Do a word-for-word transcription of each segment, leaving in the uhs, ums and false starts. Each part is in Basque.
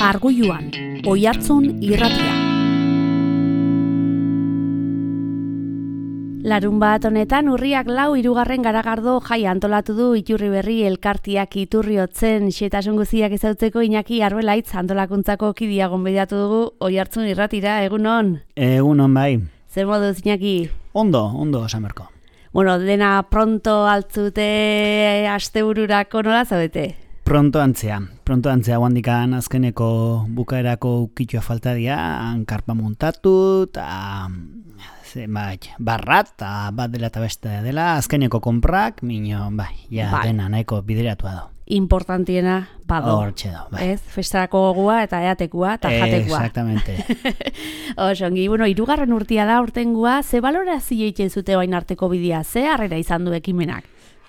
Argulluan, Oihartzun irratia. Larun bat honetan urriak lau hirugarren garagardo jai antolatu du Iturriberri elkartiak Iturriotzen xetasun guztiak ezautzeko Iñaki Arbelaitz antolakuntzako kidea gonbidatu dugu Oihartzun irratira, egunon? Egunon bai. Zer moduz, Iñaki? Ondo, ondo esamerko. Bueno, dena pronto altzute astebururako nola zaudete? Pronto antzea, pronto antzea guandikan azkeneko bukaerako ukitxoa falta dira, hankarpa montatu, eta zenbait, barrat, eta bat dela eta beste dela, azkeneko konprak, mino, bai, ja bai. Dena nahiko bideratua do. Importantiena, bado. Hortxe do, bai. Ez, festarako gogua eta eatekua eta jatekua. Exactamente. Osongi, bueno, hirugarren urtia da urtengua, ze balorazio egiten zute bain arteko bidea, ze harrera izan du ekimenak?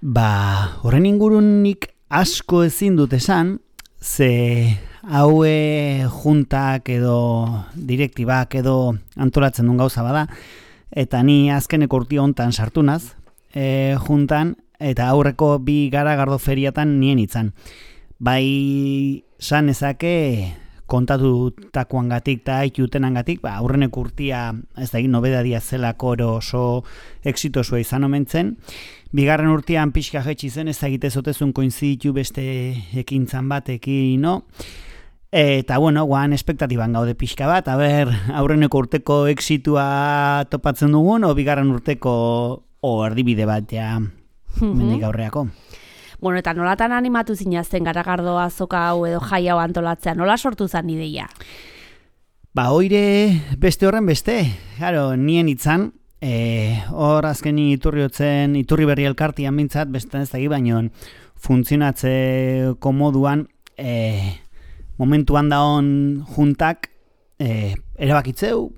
Ba, horren ingurunik asko ezin dut esan, ze haue juntak edo direktibak edo antolatzen duen gauza bada, eta ni azkeneko urti hontan sartu naz, e, juntan, eta aurreko bi garagardo feriatan nien itzan. Bai san ezake kontatutakoangatik eta aitutenangatik, ba, aurreneko urtia ez da egin nobedadia zelako oso exitosua izan omen zen. Bigarren urtean pixka jetxi zen, ez egite zotezun koinziditu beste ekintzan batekin, no? Eta, bueno, guan espektatiban gaude pixka bat, a ber, aurreneko urteko exitua topatzen dugun, o bigarren urteko o erdibide bat, ja, mm-hmm. mendik aurreako. Bueno, eta nolatan animatu zinazten garagardo azoka hau edo jai hau antolatzea, nola sortu zen ideia? Ba, oire beste horren beste, claro, nien itzan, E, hor azkeni Iturriotzen, Iturriberri elkartian bintzat, beste ez dagi baino funtzionatzeko moduan e, momentuan daon juntak e, erabakitzeu,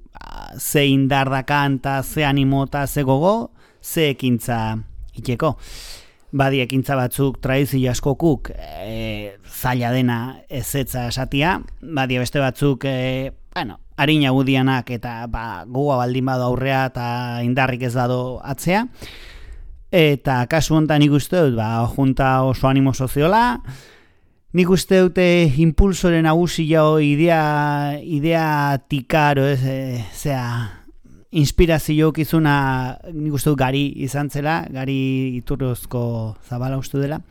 ze indar dakan eta ze animo eta ze gogo, ze ekintza itxeko. Badi ekintza batzuk tradizio askokuk e, zaila dena ezetza esatia, badi beste batzuk e, bueno, harina gudianak eta ba, gogoa baldin badu aurrea eta indarrik ez dado atzea. Eta kasu honetan nik uste dut, ba, junta oso animo soziola, nik uste dute impulsoren nagusia idea, idea tikaro, ez, e, zera, inspirazio kizuna nik uste dut Gari izan zela, Gari Iturriozko Zabala uste dela.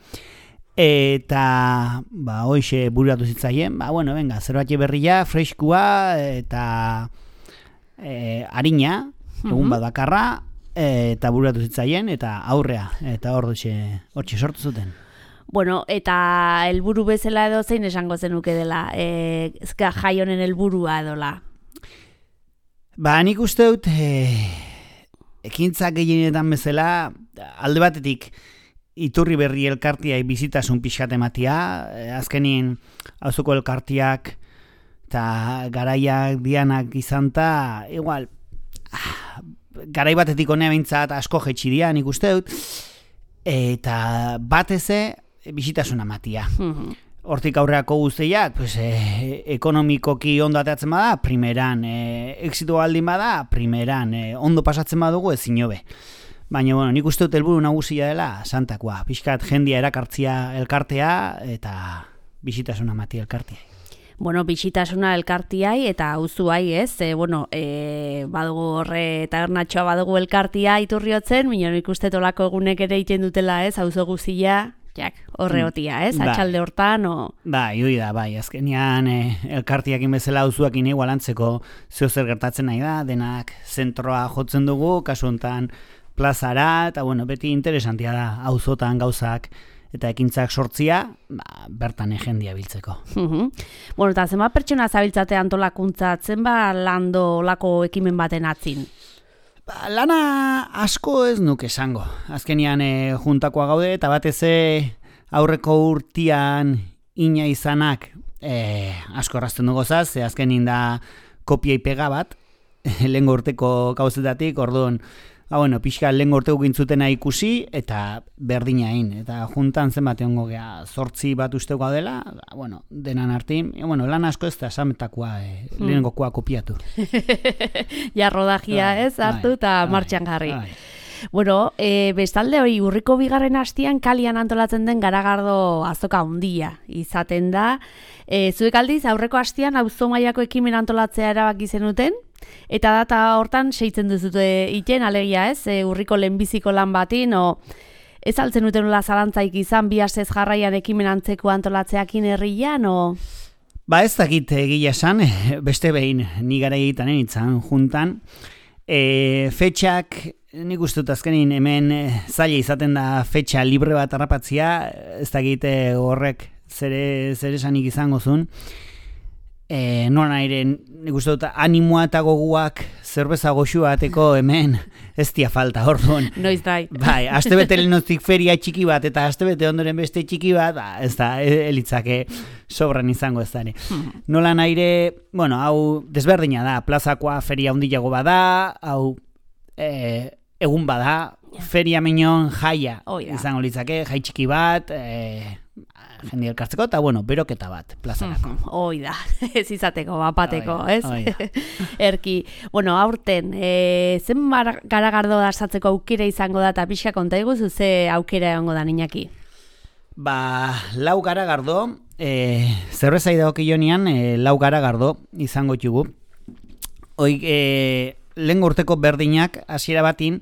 Eta, ba, hoxe bururatu zitzaien, ba, bueno, venga, zerbait berria, freskua, eta e, harina, egun bat bakarra, eta bururatu zitzaien, eta aurrea, eta hor dutxe, hortxe sortu zuten. Bueno, eta helburu bezala edo zein esango zenuke dela, e, ezka jai honen helburua edola? Ba, nik uste dut, e, ekintzak gehienetan bezala, alde batetik, Iturriberri elkartiai bizitasun pixkat ematia, azkenien auzuko elkartiak eta garaiak dianak izanta, igual, garai batetik honea bintzat asko jetxi dia, nik uste dut, eta bateze bizitasun ematia. Hortik aurreako guztiak, pues, e, ekonomikoki ondo ateatzen bada, primeran, e, exito baldin bada, primeran, e, ondo pasatzen badugu ezin hobe. Baina, bueno, nik uste dut helburu nagusia dela santakoa. Pixkat jendia erakartzia elkartea eta bisitasuna mati elkartea. Bueno, bisitasuna elkartiai eta auzuai, ez? E, bueno, e, badugu horre eta ernatxoa badugu elkartia Iturriotzen, baina nik uste tolako egunek ere egiten dutela, ez? Auzo guztia, jak, horre hotia, ez? Atxalde hortan, o... Bai, hoi da, bai, azkenian e, elkartiakin bezala auzuakin igualantzeko zeo zer gertatzen nahi da, denak zentroa jotzen dugu, kasu honetan plazara, eta bueno, beti interesantia da auzotan gauzak eta ekintzak sortzia, ba, bertan egendia biltzeko. Uh-huh. Bueno, eta zenba pertsona zabiltzate antolakuntza, zenba lando lako ekimen baten atzin? Ba, lana asko ez nuke esango. Azkenian e, juntakoa gaude, eta batez aurreko urtian ina izanak e, asko errazten dugu zaz, ze azkenin da kopia pega bat, lehengo urteko gauzetatik, orduan, ba, bueno, pixka lehengo urteko gintzutena ikusi, eta berdina egin. Eta juntan zenbat egongo gea, zortzi bat usteko dela, ba, bueno, denan artin, e, bueno, lan asko ez da esametakoa, e, hmm. lehengokoa kopiatu. Ja, rodajia, ez, hartu eta bai, martxan jarri. Bai. Bueno, e, bestalde hori urriko bigarren hastian kalian antolatzen den garagardo azoka handia izaten da. E, zuek aldiz aurreko hastian auzo mailako ekimen antolatzea erabaki zenuten, eta data hortan seitzen duzute iten, alegia ez, e, urriko lehenbiziko lan batin, o ez altzen duten nola zalantzaik izan bi astez jarraian ekimen antzeko antolatzeakin herrian, o... Ba ez dakit egia esan, beste behin ni gara egiten nintzen juntan. E, fetxak, nik uste dut azkenin hemen zaila izaten da fetxa libre bat harrapatzia, ez dakit horrek zere, zere esanik izango zuen. E, nola naire, nik uste dut animoa eta goguak zerbeza goxu bateko hemen ez dia falta, orduan. Noiz dai. Bai, astebete lehenoztik feria txiki bat eta astebete ondoren beste txiki bat, ba, ez da, elitzake sobran izango ez da. Nola naire, bueno, hau desberdina da, plazakoa feria handiago bada, hau e, egun bada, feria minon jaia oh, yeah. izango litzake, jai txiki bat, e, jende elkartzeko, eta bueno, beroketa bat, plazarako. Hoi da, ez izateko, bapateko, Oida, ez? oida. Erki, bueno, aurten, e, zen garagardo dasatzeko aukera izango da, eta pixka konta iguzu, ze aukera egongo da niñaki? Ba, lau garagardo, e, zerbeza idagokionean, e, lau garagardo izango txugu. Hoi, e, lehen urteko berdinak, hasiera batin,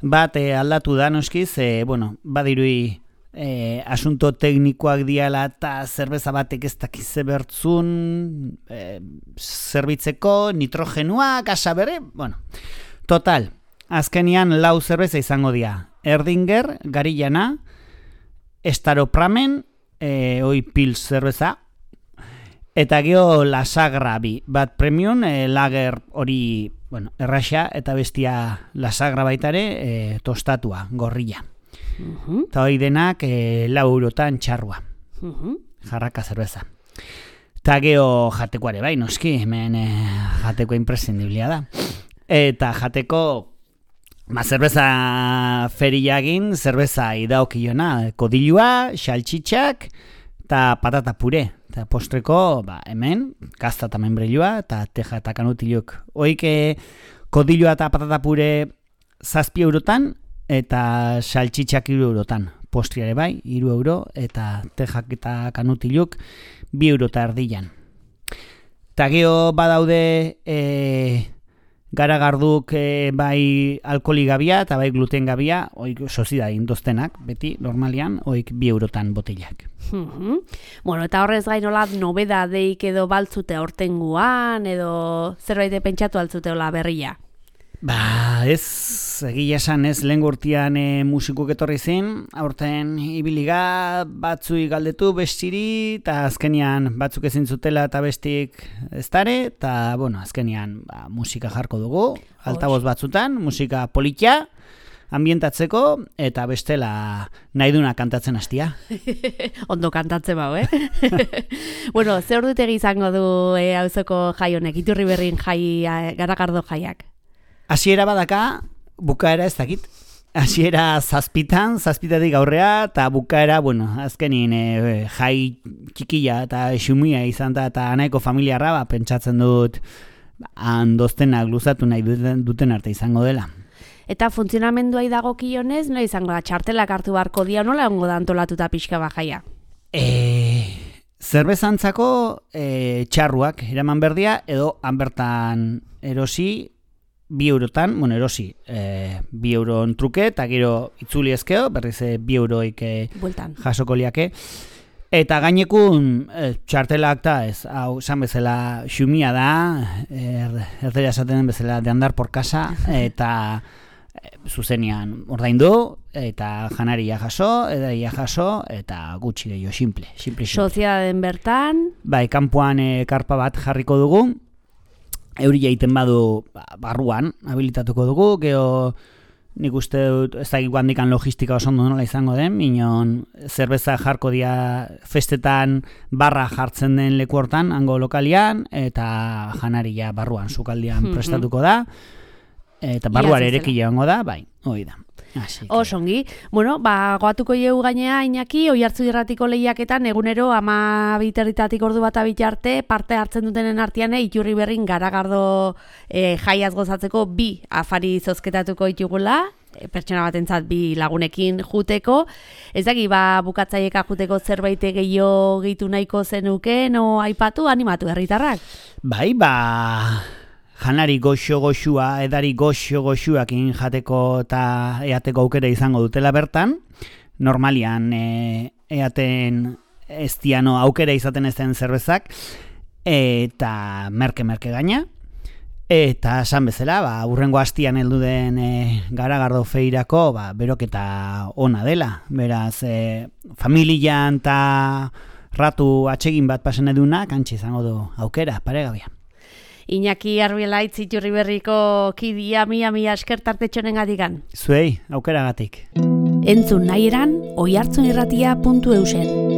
bat e, aldatu da, noskiz, e, bueno, badirui, E, asunto teknikoak diala eta zerbeza batek ez dakize bertzun e, zerbitzeko, nitrogenua, gasa bere, bueno, total, azkenian lau zerbeza izango dira, Erdinger, Garillana, Staropramen, e, oi pils zerbeza, eta geho Lasagra bi, bat premium, e, lager hori, bueno, erraxa, eta bestia Lasagra baitare, e, tostatua, gorrilla. Uh-huh. Eta hori denak e, lau eurotan txarrua. Uh-huh. Jarraka zerbeza. Eta geho jatekoare bai, noski, hemen e, jateko imprescindiblia da. Eta jateko ma zerbeza feriagin, zerbeza idaokiona, kodilua, xaltxitxak, eta patata pure. Eta postreko, ba, hemen, gazta eta membrilua, eta teja eta kanutiluk. Hoik e, kodilua eta patata pure zazpi eurotan, eta saltxitxak hiru eurotan. Postriare bai, hiru euro, eta tejak eta kanutiluk bi euro eta erdian. Eta geho badaude e, garagarduk e, bai alkoholi gabia eta bai gluten gabia, oik sozida indoztenak, beti, normalian, oik bi eurotan botellak. Uh-huh. Bueno, eta horrez gainola nobedadeik edo baltzute aurtenguan, edo zerbait pentsatu altzuteola berria? Ba, ez, egia esan ez lehen gurtian e, musikuk etorri zen, aurten ibiliga batzui galdetu bestiri, eta azkenian batzuk ezin zutela eta bestik ez dare, eta, bueno, azkenian ba, musika jarko dugu, altaboz batzutan, musika politia, ambientatzeko, eta bestela nahi duna kantatzen hastia. Ondo kantatzen bau, eh? Bueno, ze ordutegi izango du e, auzoko jai honek, Iturri berrin jai, garagardo jaiak? Hasiera badaka, bukaera ez dakit. Hasiera zazpitan, zazpitatik aurrea, eta bukaera, bueno, azkenin e, jai txikila eta xumia izan da, eta nahiko familiarra, ba, pentsatzen dut handoztenak luzatu nahi duten, duten arte izango dela. Eta funtzionamenduai dagokionez, nola izango da, txartelak hartu beharko dia, nola ongo da antolatuta pixka bajaia? E, zerbezantzako e, txarruak eraman berdia, edo hanbertan erosi, bi eurotan, bueno, erosi, e, bi euron truke, eta gero itzuli ezkeo, berriz e, bi euroik e, jasoko liake. Eta gainekun e, txartelak da, ez, hau, esan bezala xumia da, er, erdera esaten den bezala de andar por casa, eta e, zuzenian ordaindu, eta janaria jaso, edaia jaso, eta gutxi gehiago, simple, simple, simple. Soziaden bertan? Bai, kanpoan e, karpa bat jarriko dugu, euri egiten badu barruan, habilitatuko dugu, geho nik uste dut, ez da handikan logistika oso ondo nola izango den, minon zerbeza jarko dia festetan barra jartzen den leku hortan, hango lokalian, eta janaria barruan, sukaldian mm-hmm. prestatuko da, eta barruare erekile egongo da, bai, hoi da. Osongi, bueno, ba, goatuko jeu gainea Iñaki, Oiartzu irratiko lehiaketan egunero ama biterritatik ordu bat abitarte parte hartzen dutenen artean Iturri berrin garagardo e, jaiaz gozatzeko bi afari zozketatuko ditugula, pertsona batentzat bi lagunekin juteko. Ez daki, ba, bukatzaieka juteko zerbait gehiago gehitu nahiko zenuken, o aipatu, animatu herritarrak? Bai, ba, janari goxo-goxua, edari goxo-goxuakin jateko eta eateko aukera izango dutela bertan. Normalian e, eaten ez diano aukera izaten ez den zerbezak, eta merke-merke gaina. Eta esan bezala, ba, urrengo hastian heldu den e, Garagardo feirako, ba, beroketa ona dela. Beraz, e, familian eta ratu atsegin bat pasen eduna, kantxe izango du aukera, paregabia. Iñaki Arbielaitz Iturriberriko kidia mia mia esker tartetxonen gatikan. Zuei, aukeragatik. Entzun nahi eran, oihartzunirratia puntu eusen.